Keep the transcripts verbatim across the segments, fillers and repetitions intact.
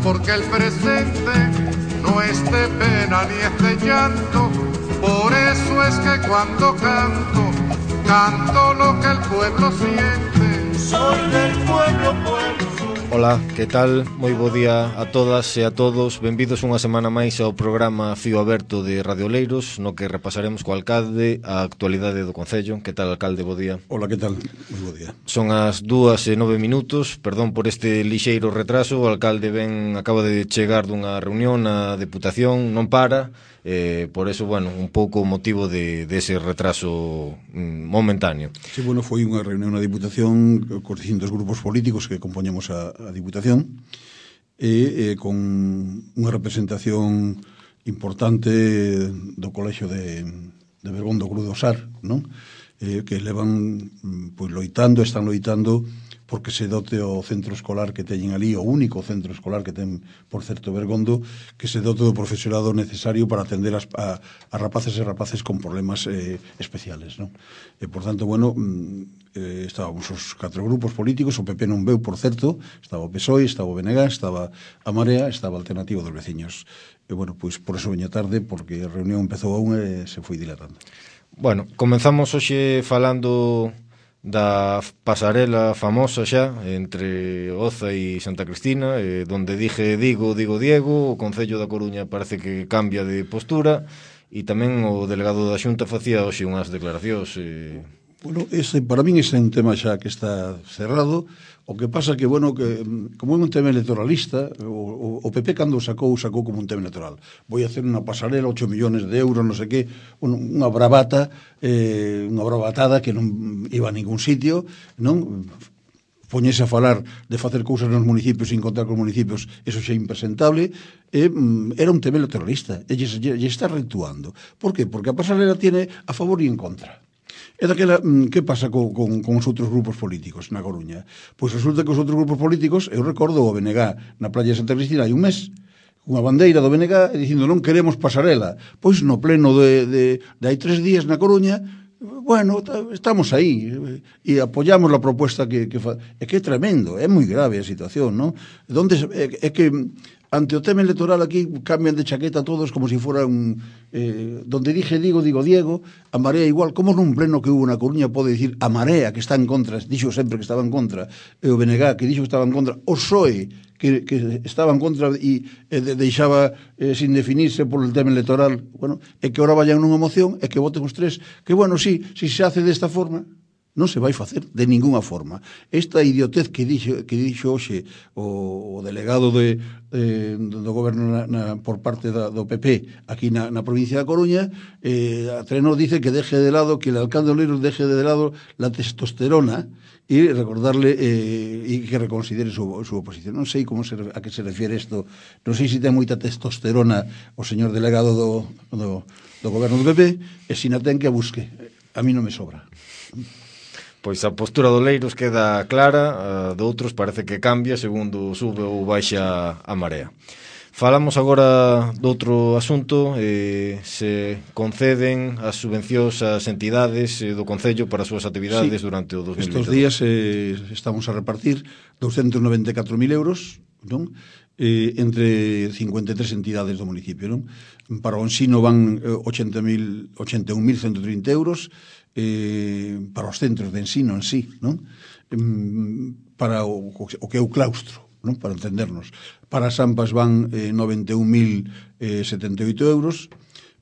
porque el presente no es de pena ni es de llanto. Por eso es que cuando canto, canto lo que el pueblo siente. Soy del pueblo, pueblo. Ola, que tal? Moi bo día a todas e a todos. Benvidos unha semana máis ao programa Fío Aberto de Radio Oleiros, no que repasaremos co alcalde a actualidade do Concello. Que tal, alcalde? Bo día. Ola, que tal? Moi bo día. Son as dúas e nove minutos. Perdón por este lixeiro retraso. O alcalde ben acaba de chegar dunha reunión na Deputación, non para. Eh, por eso, bueno, un pouco o motivo de, de ese retraso mm, momentáneo. Sí, bueno, foi unha reunión na Diputación cos distintos grupos políticos que compoñemos a, a Diputación e eh, con unha representación importante do Colexio de, de Bergondo Cruz do Sar, non? Eh, que levan pois loitando, están loitando porque se dote o centro escolar que teñen ali, o único centro escolar que ten, por certo, Bergondo, que se dote do profesorado necesario para atender as, a, a rapaces e rapaces con problemas eh, especiales, non? E, por tanto, bueno, eh, estábamos os catro grupos políticos, o P P non veu, por certo, estaba o P S O E, estaba o B N G, estaba a Marea, estaba a Alternativa dos Veciños. E, bueno, pois, por eso veña tarde, porque a reunión empezou a unha e se foi dilatando. Bueno, comenzamos hoxe falando da pasarela famosa xa entre Oza e Santa Cristina, eh, donde dije digo, digo Diego. O Concello da Coruña parece que cambia de postura e tamén o delegado da Xunta facía hoxe unhas declaracións. eh... Bueno, ese, para min ese é un tema xa que está cerrado. O que pasa que, bueno, que como é un tema electoralista, o, o P P cando sacou, sacou como un tema electoral. Voi a hacer unha pasarela, ocho millones de euros, non sei que, unha bravata, eh, unha bravatada que non iba a ningún sitio, non? Poñese a falar de facer cousas nos municipios sin contar con municipios, eso xa é impresentable. E, mm, era un tema electoralista, e lle, lle está retuando. Por que? Porque a pasarela tiene a favor e en contra. E daquela, que pasa co, con, con os outros grupos políticos na Coruña? Pois resulta que os outros grupos políticos, eu recordo o B N G na playa de Santa Cristina hai un mes, unha bandeira do B N G dicindo non queremos pasarela. Pois no pleno de, de, de hai tres días na Coruña, bueno, estamos aí e apoyamos a propuesta que, que fa... É que é tremendo, é moi grave a situación, non? Donde, é, é que ante o tema electoral aquí cambian de chaqueta todos como se si fora un... Eh, donde dije digo, digo Diego, a Marea igual. Como nun pleno que hubo na Coruña pode dicir a Marea que está en contra, dixo sempre que estaba en contra, e o B N G que dixo que estaba en contra, o P S O E que, que estaba en contra e, e de, deixaba eh, sin definirse por el tema electoral. Bueno, é que ahora vayan nunha moción e que voten os tres, que bueno, sí, si se hace desta forma, non se vai facer de ninguna forma. Esta idiotez que dixo, que dixo hoxe o, o delegado de, de, do goberno na, na, por parte da, do P P aquí na, na provincia da Coruña, eh, a Trenor dice que deje de lado, que el alcalde Oleiros deje de lado la testosterona e recordarle eh, e que reconsidere su, su oposición. Non sei como se, a que se refiere isto, non sei se ten moita testosterona o señor delegado do, do, do goberno do P P, e se na ten que a busque. A mí non me sobra. Pois a postura do Oleiros queda clara, a de outros parece que cambia segundo sube ou baixa a Marea. Falamos agora de outro asunto, eh, se conceden as subvencións ás entidades eh, do Concello para as súas actividades sí, durante o dos mil vinte e dous. Estos días eh, estamos a repartir douscentos noventa e catro mil euros, non? Eh, entre cincuenta e tres entidades do municipio, non? Para o ensino van ochenta e un mil ciento trinta euros, eh, para os centros de ensino en sí, non? Para o, o que é o claustro, non? Para entendernos. Para as AMPAs van eh, noventa e un mil setenta e oito euros,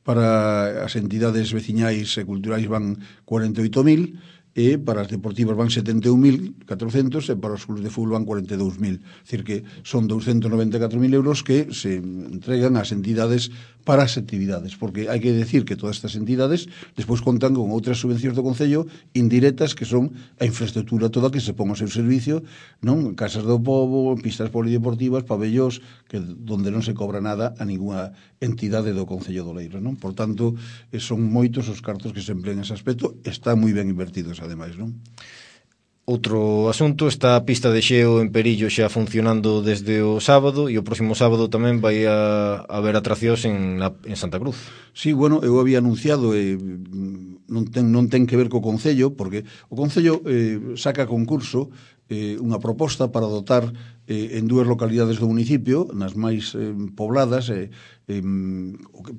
para as entidades veciñais e culturais van cuarenta e oito mil, e para as deportivas van setenta e un mil catrocentos e para os clubes de fútbol van cuarenta e dous mil. É dicir que son douscentos noventa e catro mil euros que se entregan ás entidades para as actividades, porque hai que decir que todas estas entidades despois contan con outras subvencións do Concello indirectas que son a infraestructura toda que se pon ao seu servicio, non? Casas do pobo, pistas polideportivas, pabellós, que donde non se cobra nada a ninguna entidade do Concello de Oleiros, non? Por tanto, son moitos os cartos que se emplean nese aspecto, están moi ben invertidos ademais, non? Outro asunto, está a pista de xeo en Perillo xa funcionando desde o sábado e o próximo sábado tamén vai a haber atraccións en, na, en Santa Cruz. Sí, bueno, eu había anunciado e eh, non, ten, non ten que ver co Concello, porque o Concello eh, saca a concurso eh, unha proposta para dotar eh, en dúas localidades do municipio, nas máis eh, pobladas, eh, eh,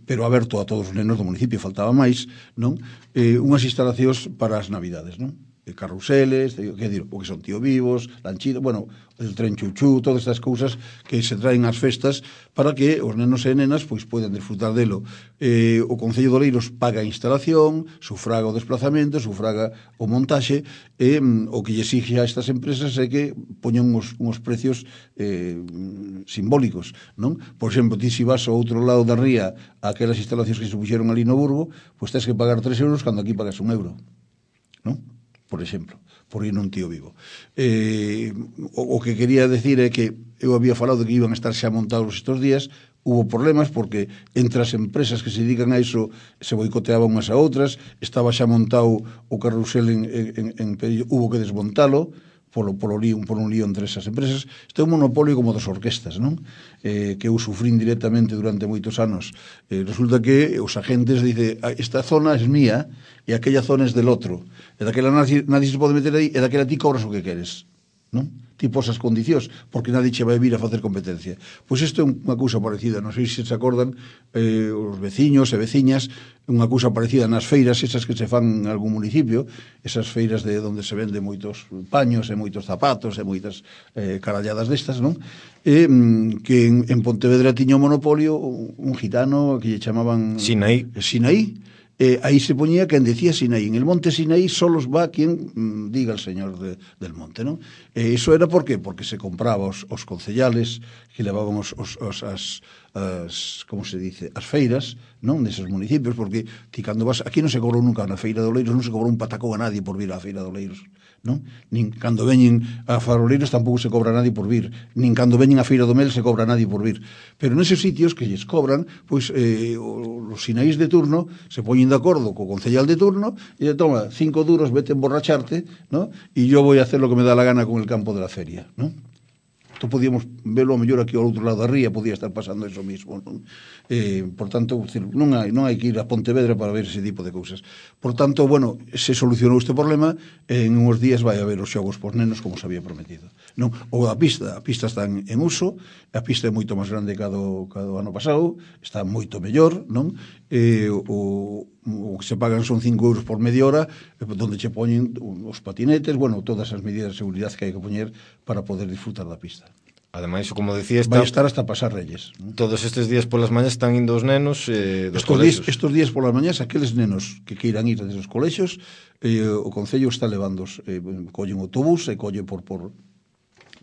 pero aberto a todos os nenos do municipio, faltaba máis, non? Eh, unhas instalacións para as navidades, non? Carruseles, que dir, o que son tío vivos, lanchita, bueno, el tren chuchú, todas estas cousas que se traen ás festas para que os nenos e nenas pois poidan disfrutar delo. Eh, o Concello de Oleiros paga a instalación, sufraga o desplazamento, sufraga o montaxe, e mm, o que lle exige a estas empresas é que poñan uns, uns precios eh, simbólicos, non? Por exemplo, ti se vas ao outro lado da ría a aquelas instalacións que se puxeron ali no Burgo, pois tens que pagar tres euros cando aquí pagas un euro, non? Por exemplo, por ir nun tío vivo. Eh, o, o que quería decir é que eu había falado que iban a estar xa montados estes días, hubo problemas porque entre as empresas que se dedican a iso se boicoteaban unhas a outras, estaba xa montado o carrusel en, en, en Pedillo, hubo que desmontalo, polo, polo lío, por un lío entre esas empresas. Este é un monopolio como das orquestas, non? Eh, que eu sufrín directamente durante moitos anos. Eh, resulta que os agentes dice, esta zona es mía e aquella zona es del outro. E daquela nadie, nadie se pode meter aí, e daquela ti cobras o que queres, non? Ti posas condicións, porque nadie che vai vir a facer competencia. Pois isto é unha cousa parecida, non sei se se acordan eh, os veciños e veciñas, unha cousa parecida nas feiras, esas que se fan en algún municipio, esas feiras de onde se vende moitos paños e moitos zapatos e moitas eh, caralladas destas, non? E que en, en Pontevedra tiña un monopolio un gitano que lle chamaban Sinaí. Sinaí. Eh, aí se poñía quen decía Sinaí. En el monte Sinaí solos va quien mm, diga el señor de, del monte, non? E iso era por qué? Porque se compraba os, os concellales que levaban os, os, os, as, as, como se dice, as feiras, non? Neses municipios, porque ti cando vas, aquí non se cobrou nunca na feira de Oleiros, non se cobrou un patacón a nadie por vir á feira de Oleiros, non? Nin cando veñen a Faroleiros tampouco se cobra a nadie por vir, nin cando veñen a Feira do Mel se cobra a nadie por vir, pero neses sitios que lles cobran, pois eh, os sinaís de turno se poñen de acordo co concellal de turno e le toma cinco duros, vete a emborracharte, ¿no? E yo voy a hacer lo que me da la gana con el campo de la feria, ¿no? Esto podíamos verlo a mellor aquí ao outro lado da ría, podía estar pasando eso mismo, non? Eh, por tanto, non hai, non hai que ir a Pontevedra para ver ese tipo de cousas. Por tanto, bueno, se solucionou este problema, en uns días vai haber os xogos por nenos como se había prometido. Non, o da pista, a pista está en, en uso, a pista é moito máis grande que a do, que a do ano pasado, está moito mellor, non? Eh, o, o que se pagan son cinco euros por media hora, donde che poñen os patinetes, bueno, todas as medidas de seguridade que hai que poñer para poder disfrutar da pista. Ademais, como decía, está... vai estar hasta pasar Reyes, ¿no? Todos estes días polas mañas están indo os nenos eh, dos estos días, colexios. estos días polas mañas, aqueles nenos que queiran ir desde os colexios, eh, o Concello está levándos, eh, collen autobús e colle por... por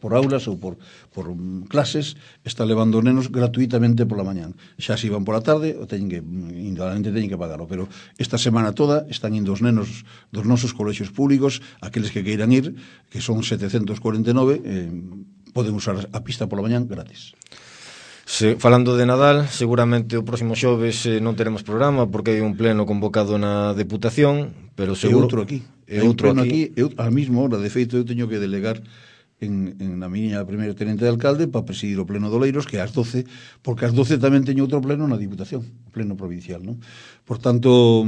por aulas ou por, por um, clases, está levando os nenos gratuitamente pola mañán. Xa se iban pola tarde, o teñen que, indudablemente teñen que pagarlo, pero esta semana toda están indo os nenos dos nosos colexios públicos, aqueles que queiran ir, que son setecentos cuarenta e nove, eh, poden usar a pista pola mañán gratis. Se, falando de Nadal, seguramente o próximo xoves eh, non teremos programa porque hai un pleno convocado na Deputación, pero seguro... E outro aquí. E outro aquí. aquí. Eu, a mesma hora, de feito, eu teño que delegar en, en na miña primeira tenente de alcalde para presidir o pleno de Oleiros, que é ás doce, porque ás doce tamén teño outro pleno na Diputación, o pleno provincial, non? Por tanto,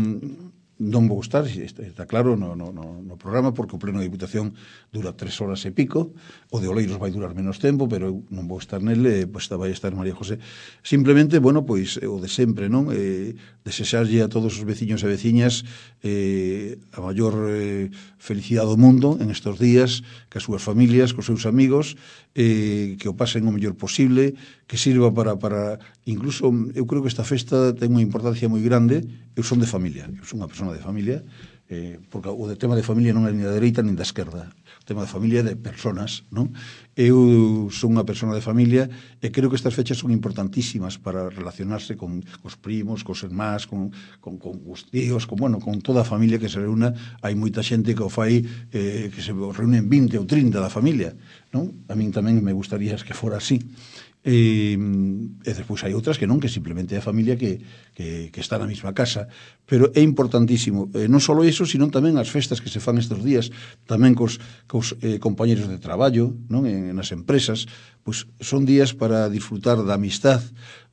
non vou estar, está, está claro, no, no, no, no programa, porque o pleno de Diputación dura tres horas e pico, o de Oleiros vai durar menos tempo, pero eu non vou estar nele, pois vai estar María José. Simplemente, bueno, pois, o de sempre, non? Eh, desexarlle a todos os veciños e veciñas eh, a maior eh, felicidade do mundo en estes días, que as súas familias, cos seus amigos, eh, que o pasen o mellor posible, que sirva para, para, incluso, eu creo que esta festa ten unha importancia moi grande. Eu son de familia, eu son unha persona de familia, eh, porque o de tema de familia non é ni da dereita ni da esquerda, o tema de familia é de personas, non? Eu son unha persona de familia e creo que estas fechas son importantísimas para relacionarse con os primos, cos irmáns, con, con, con os tíos, con, bueno, con toda a familia que se reúna. Hai moita xente que o fai, eh, que se reúnen vinte ou trinta da familia, non? A min tamén me gustaría que fora así. E, e despois hai outras que non, que simplemente é a familia que, que, que está na mesma casa, pero é importantísimo, eh, non só iso, sino tamén as festas que se fan estes días, tamén cos, cos eh, compañeros de traballo, non, en, nas empresas, pois son días para disfrutar da amistad,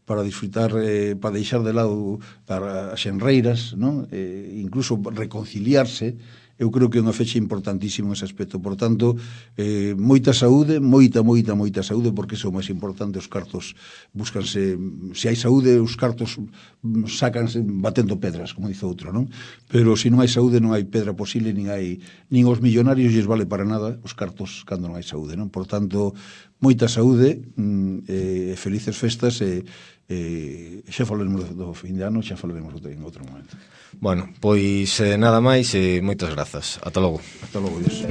para disfrutar, eh, para deixar de lado as xenreiras, non? Eh, incluso reconciliarse eu creo que é unha fecha importantísima nese aspecto. Por tanto, eh, moita saúde, moita, moita, moita saúde, porque iso é o máis importante. Os cartos búscanse, se hai saúde, os cartos sácanse batendo pedras, como dice outro, non? Pero se non hai saúde non hai pedra posible, nin hai nin os millonarios lles vale para nada os cartos cando non hai saúde, non? Por tanto, moita saúde, e eh, felices festas, e eh, xa falaremos do fin de ano, xa falaremos en outro momento. Bueno, pois eh, nada máis e moitas grazas. Ata logo. Ata logo, Dios.